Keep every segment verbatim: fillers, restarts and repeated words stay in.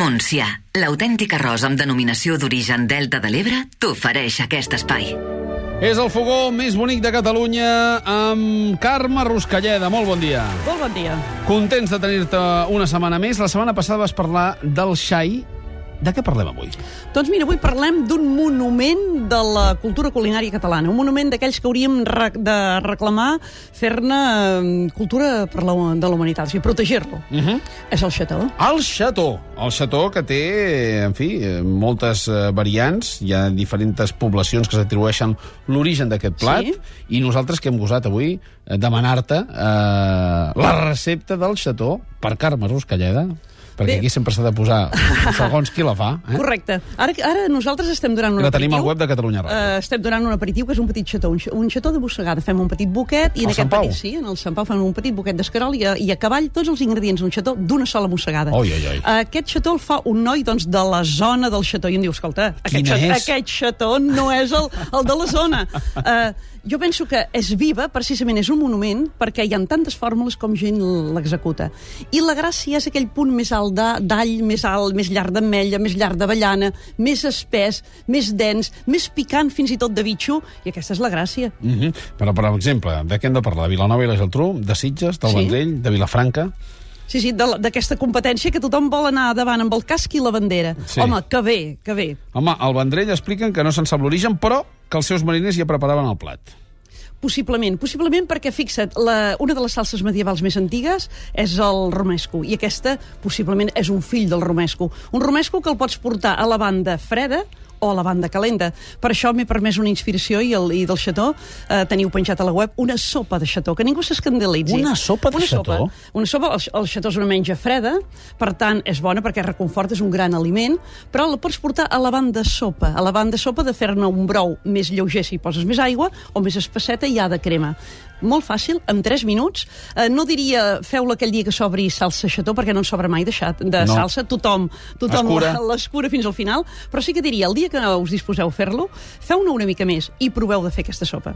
Montsià, l'autèntic arròs amb denominació d'origen Delta de l'Ebre, t'ofereix aquest espai. És el fogó més bonic de Catalunya amb Carme Ruscalleda. Molt bon dia. Molt bon dia. Contents de tenir-te una setmana més. La setmana passada vas parlar del xai. De què parlem avui? Doncs mira, avui parlem d'un monument de la cultura culinària catalana. Un monument d'aquells que hauríem re de reclamar fer-ne cultura per la, de la humanitat, o sigui, protegir-lo. Uh -huh. És el xató. El xató. El xató que té, en fi, moltes variants. Hi ha diferents poblacions que s'atribueixen l'origen d'aquest plat. Sí. I nosaltres que hem gosat avui demanar-te eh, la recepta del xató per Carme Ruscalleda. Perquè Bé. Aquí sempre s'ha de posar segons qui la fa. Eh? Correcte. Ara, ara nosaltres estem donant un la aperitiu. tenim al web de Catalunya Ràdio. Uh, estem donant un aperitiu que és un petit xató. Un, un xató de Bossegada. Fem un petit buquet. I en aquest petit, sí, en el Sant Pau fem un petit buquet d'escarol i, i a cavall tots els ingredients d'un xató d'una sola mossegada. Oi, oi, oi. Uh, aquest xató el fa un noi doncs, de la zona del xató. I em diu, escolta, aquest xató, aquest xató no és el, el de la zona. Uh, Jo penso que és viva, precisament és un monument, perquè hi ha tantes fórmules com gent l'executa. I la gràcia és aquell punt més alt d'all, més alt, més llarg d'ametlla, més llarg d'avellana, més espès, més dens, més picant fins i tot de bitxo, i aquesta és la gràcia. Mm -hmm. Però, per exemple, de què hem de parlar? De Vilanova i la Geltrú, de Sitges, del sí. Vendrell, de Vilafranca... Sí, sí, d'aquesta competència que tothom vol anar davant amb el casc i la bandera. Sí. Home, que bé, que bé. Home, al Vendrell expliquen que no se'n sap l'origen, però que els seus mariners ja preparaven el plat. Possiblement, possiblement perquè, fixa't, la, una de les salses medievals més antigues és el romesco, i aquesta possiblement és un fill del romesco. Un romesco que el pots portar a la banda freda o a la banda calenta. Per això m'he permès una inspiració i, el, i del xató eh, teniu penjat a la web una sopa de xató, que ningú s'escandalitzi. Una sopa de una xató? Sopa. Una sopa, el, el xató és una menja freda, per tant és bona perquè reconforta, és un gran aliment, però la pots portar a la banda sopa, a la banda sopa de fer-ne un brou més lleuger si hi poses més aigua, o més espesseta i ha de crema. Molt fàcil, en tres minuts. Eh, no diria feu-la aquell dia que s'obri salsa xató, perquè no en sobra mai de, xat, de no. salsa. Tothom, tothom l'escura fins al final. Però sí que diria, el dia que us disposeu a fer-lo, feu-ne una mica més i proveu de fer aquesta sopa.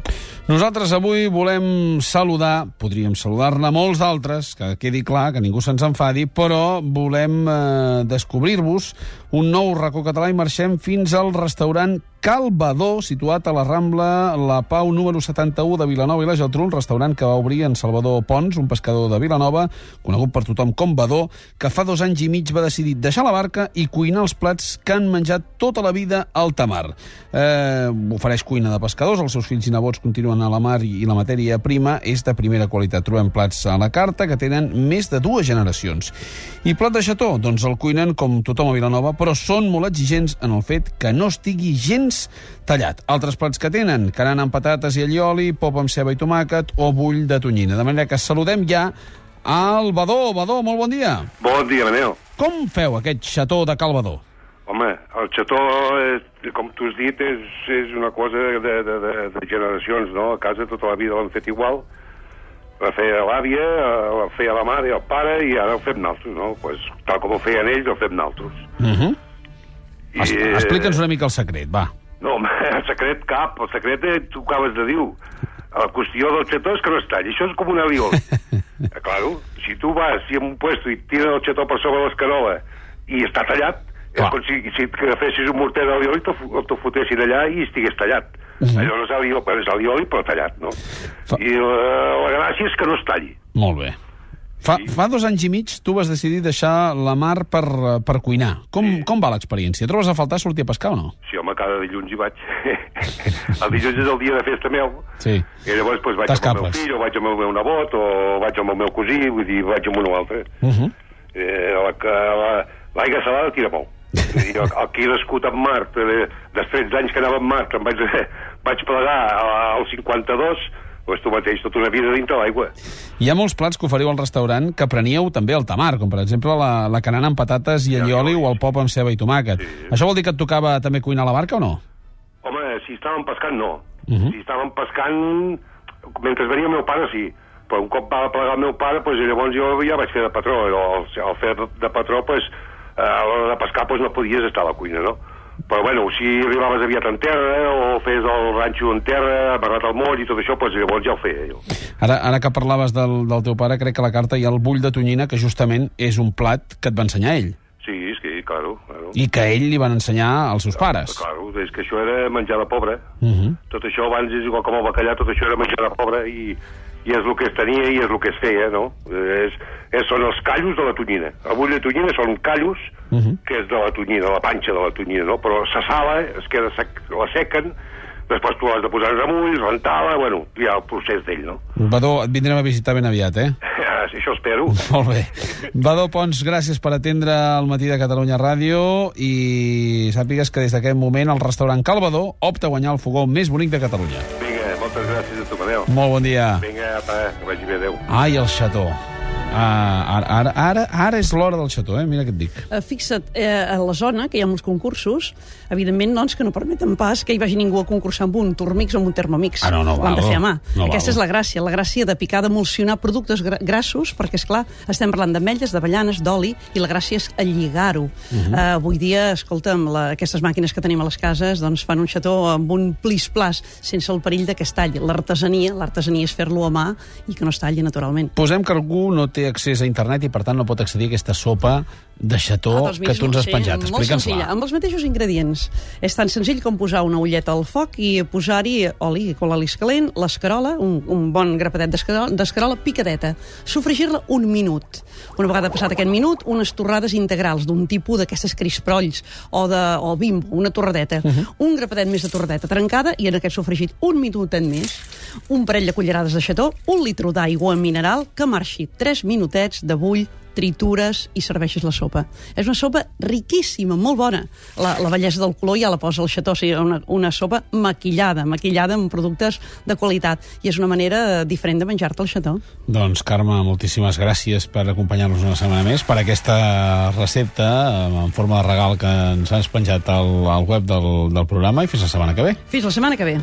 Nosaltres avui volem saludar, podríem saludar-ne molts d'altres, que quedi clar, que ningú se'ns enfadi, però volem eh, descobrir-vos un nou racó català i marxem fins al restaurant Cal Badó, situat a la Rambla La Pau número setanta-u de Vilanova i la Geltrú, un restaurant que va obrir en Salvador Pons, un pescador de Vilanova, conegut per tothom com Badó, que fa dos anys i mig va decidir deixar la barca i cuinar els plats que han menjat tota la vida al tamar. Eh, ofereix cuina de pescadors, els seus fills i nebots continuen a la mar i la matèria prima és de primera qualitat. Trobem plats a la carta que tenen més de dues generacions. I plat de xató? Doncs el cuinen com tothom a Vilanova, però són molt exigents en el fet que no estigui gens tallat. Altres plats que tenen, carana amb patates i allioli, pop amb ceba i tomàquet o bull de tonyina. De manera que saludem ja al Badó. Badó, molt bon dia. Bon dia, Manel. Com feu aquest xató de Cal Badó? Home, el xató, és, com tu has dit, és, és una cosa de, de, de, de generacions, no? A casa tota la vida l'han fet igual. La feia l'àvia, la feia la mare i el pare, i ara el fem naltros, no? Pues, tal com ho feien ells, el fem naltros. Uh -huh. I, Explica'ns una mica el secret, va. No, el secret cap, el secret eh, tu acabes de dir. La qüestió del xató és que no es talli. Això és com un alioli. eh, claro, si tu vas si en un puesto i tires el xató per sobre l'escarola i està tallat, és com si, si agafessis un morter d'alioli i te'l te fotessin allà i estigués tallat. Uh -huh. Allò no és alioli, és alioli però tallat, no? Fa... I la, la gràcia és que no es talli. Molt bé. Fa, sí. fa dos anys i mig tu vas decidir deixar la mar per, per cuinar. Com, sí. com va l'experiència? Trobes a faltar sortir a pescar o no? Sí, home, cada dilluns hi vaig. El dilluns és el dia de festa meu. Sí. I llavors pues, vaig amb el meu fill, o vaig amb el meu nebot, o vaig amb el meu cosí, vull dir, vaig amb un o altre. Uh -huh. eh, L'aigua la, salada tira molt. I aquí l'escut en mar, després d'anys que anava en mar, que em vaig, vaig plegar al cinquanta-dos, doncs tu mateix tota una vida dintre l'aigua. Hi ha molts plats que oferiu al restaurant que preníeu també al tamar, com per exemple la, la canana amb patates i allioli o el pop amb ceba i tomàquet. Sí. Això vol dir que et tocava també cuinar a la barca o no? Home, si estàvem pescant, no. Uh -huh. Si estàvem pescant, mentre venia el meu pare, sí. Però un cop va plegar el meu pare, doncs llavors jo ja vaig fer de patró. Al, al fer de patró, doncs, a l'hora de pescar, doncs no podies estar a la cuina, no? Però, bueno, si arribaves aviat en terra o fes el ranxo en terra, amarrat al moll i tot això, doncs llavors ja ho feia jo. Ara, ara que parlaves del, del teu pare, crec que a la carta hi ha el bull de tonyina, que justament és un plat que et va ensenyar ell. Sí, és que claro, claro. I que ell li van ensenyar als seus pares. Claro, és que això era menjar de pobre. Uh -huh. Tot això abans és igual com el bacallà, tot això era menjar de pobre i, i és el que es tenia i és el que es feia, no? És, és, són els callos de la tonyina. Avui la tonyina són callos, uh -huh. que és de la tonyina, la panxa de la tonyina, no? Però se sala, es queda sec, la sequen, després tu has de posar els amulls, rentar-la, bueno, hi ha el procés d'ell, no? Badó, et vindrem a visitar ben aviat, eh? Sí, això espero. Molt bé. Badó Pons, gràcies per atendre el Matí de Catalunya Ràdio i sàpigues que des d'aquest moment el restaurant Cal Badó opta a guanyar el fogó més bonic de Catalunya. Vinga, moltes gràcies a tu, Manel. Molt bon dia. Vinga, apa, que vagi bé, adéu. Ai, el xató. Ah, ara, ara, ara, ara és l'hora del xató, eh? Mira què et dic. Uh, fixa't, eh, a la zona, que hi ha molts concursos, evidentment, doncs, que no permeten pas que hi vagi ningú a concursar amb un Turmix o amb un Thermomix. Ah, no, no Ho han de val. fer a mà. No Aquesta val. és la gràcia, la gràcia de picar, d'emulsionar productes gra grassos, perquè, és clar, estem parlant d'ametlles, d'avellanes, d'oli, i la gràcia és lligar-ho. Uh -huh. uh, avui dia, escolta'm, la, aquestes màquines que tenim a les cases doncs, fan un xató amb un plis-plas, sense el perill de que es talli. L'artesania, l'artesania és fer-lo a mà i que no es talli naturalment. Posem que algú no té accés a internet i, per tant, no pot accedir a aquesta sopa de xató Ah, doncs mira, que tu ens has sí, penjat. molt senzilla, Explica'ns-la. amb els mateixos ingredients. És tan senzill com posar una ulleta al foc i posar-hi oli, quan l'oli és calent, l'escarola, un, un bon grapadet d'escarola, d'escarola picadeta. Sofregir-la un minut. Una vegada passat aquest minut, unes torrades integrals d'un tipus d'aquestes crisprolls o, de, o bimbo, una torradeta. Uh -huh. Un grapadet més de torradeta trencada i en aquest sofregit un minutet més, un parell de cullerades de xató, un litre d'aigua mineral que marxi tres minutets de bull, tritures i serveixes la sopa. És una sopa riquíssima, molt bona. La, la bellesa del color ja la posa el xató, o sigui, una, una sopa maquillada, maquillada amb productes de qualitat. I és una manera diferent de menjar-te el xató. Doncs, Carme, moltíssimes gràcies per acompanyar-nos una setmana més, per aquesta recepta en forma de regal que ens has penjat al, al web del, del programa, i fins la setmana que ve. Fins la setmana que ve.